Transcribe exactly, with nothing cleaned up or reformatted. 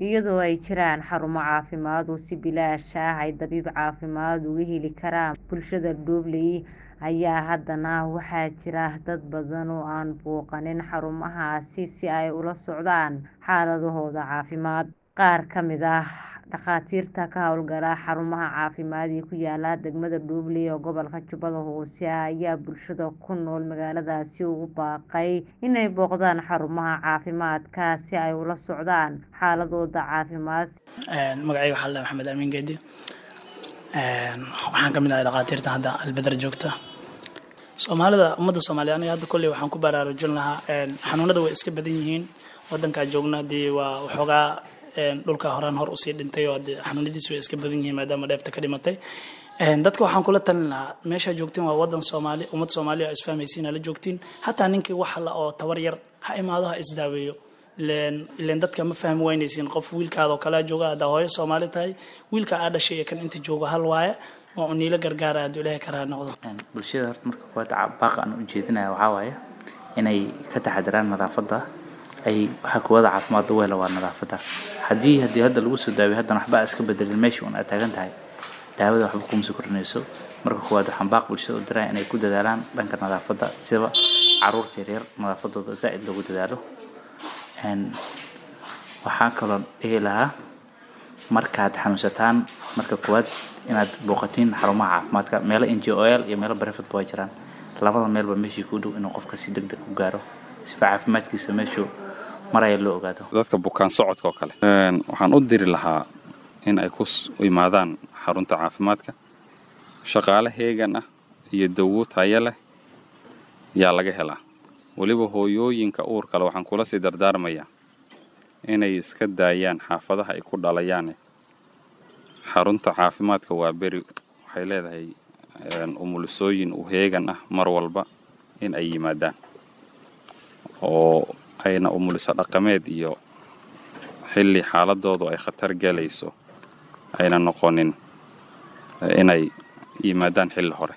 Iyadoo ay jiraan xarumo caafimaad oo si bilaash ah ay dabiib caafimaad uga heli karaan bulshada Dhobley, ayaa haddana waxaa jira dad badan oo aan booqanin xarumahaasi si ay ula socdaan xaaladahooda caafimaad. Qaar ka mid ah dhakhaatiirta ka howlgala xarumaha caafimaad ee ku yaala degmada Dhobley ee gobolka Jubbada Hoose ayaa bulshada ku nool magaaladaasi ugu baaqay inay booqdaan xarumaha caafimaadka si ay ula socdaan xaaladooda caafimaad. Magacayga waxaa la dhahaa Maxamed Amiin Geedi. Waxaan ka mid ahay dhakhaatiirta hadda Albedar joogta. Soomaalida, ummadda Soomaaliya, aniga hadda kolley waxaan ku baraarujin lahaa xanuunada way iska badan yihiin. Wadankaa joogna haddii waa waxoogaa dhulka horaan hor usii dhintay oo hadee xanuunadiisu way iska badan yihiin maadaama dheefta ka dhimatay. Dadka waxaan kula talin lahaa meeshaa joogtiin waa wadan Soomaali, ummad Soomaali oo isfahmaysiin la joogtiin. Hataa ninkii wax la oo tabar yar ha imaado, ha isdaaweeyo. Ileen ileen dadka ma fahmi waynaysiin, qof wiilkaada oo kalea jooga haddaa hooyo Soomaali tahay, wiilka aa dhashay iyo kan inta joogo hal waaye, waa un niila gargaara hadduu Ilaahay karaa noqdo. Bulshada horta marka koowaad baaqa aan u jeedinaya waxaa waaye inay ka taxadaraan nadaafadda. Ay waxa koowaad caafimaad lagu helo waa nadaafadda. Haddii haddii hadda lagu soo daaweeyo haddana waxba iska bedelin, meeshii un aad taagan tahay, daawada waxba kuma soo kordhinayso. Marka koowaad waxaan baaq bulshada u diraya inay ku dadaalaan dhanka nadaafadda, sida caruurta yaryar nadaafadooda zaa'id loogu dadaalo. Waxaa kaloo dhihi lahaa markaad xanuunsataan marka koowaad inaad booqatiin xarumaha caafimaadka, meelo N G O L iyo meelo private ba way jiraan. Labada meelba meeshii ku dhow inuu qofka si degdeg u gaaro sifa caafimaadkiisa meeshuu maraya loo ogaado. Dadka bukaan socodka oo kale waxaan u diri lahaa in ay ku imaadaan xarunta caafimaadka. Shaqaale heegan ah iyo dawo tayo leh yaa laga helaa. Weliba hooyooyinka uurka leh waxaan kula sii dardaarmayaa inay iska daayaan xaafadaha ay ku dhalayaan. Xarunta caafimaadka waa beri waxay leedahay umulisooyin u heegan ah mar walba in ay yimaadaan, oo ayna umuliso dhaqameed iyo xilli xaaladoodu ay khatar galayso ayna noqonin, inay yimaadaan xilli hore.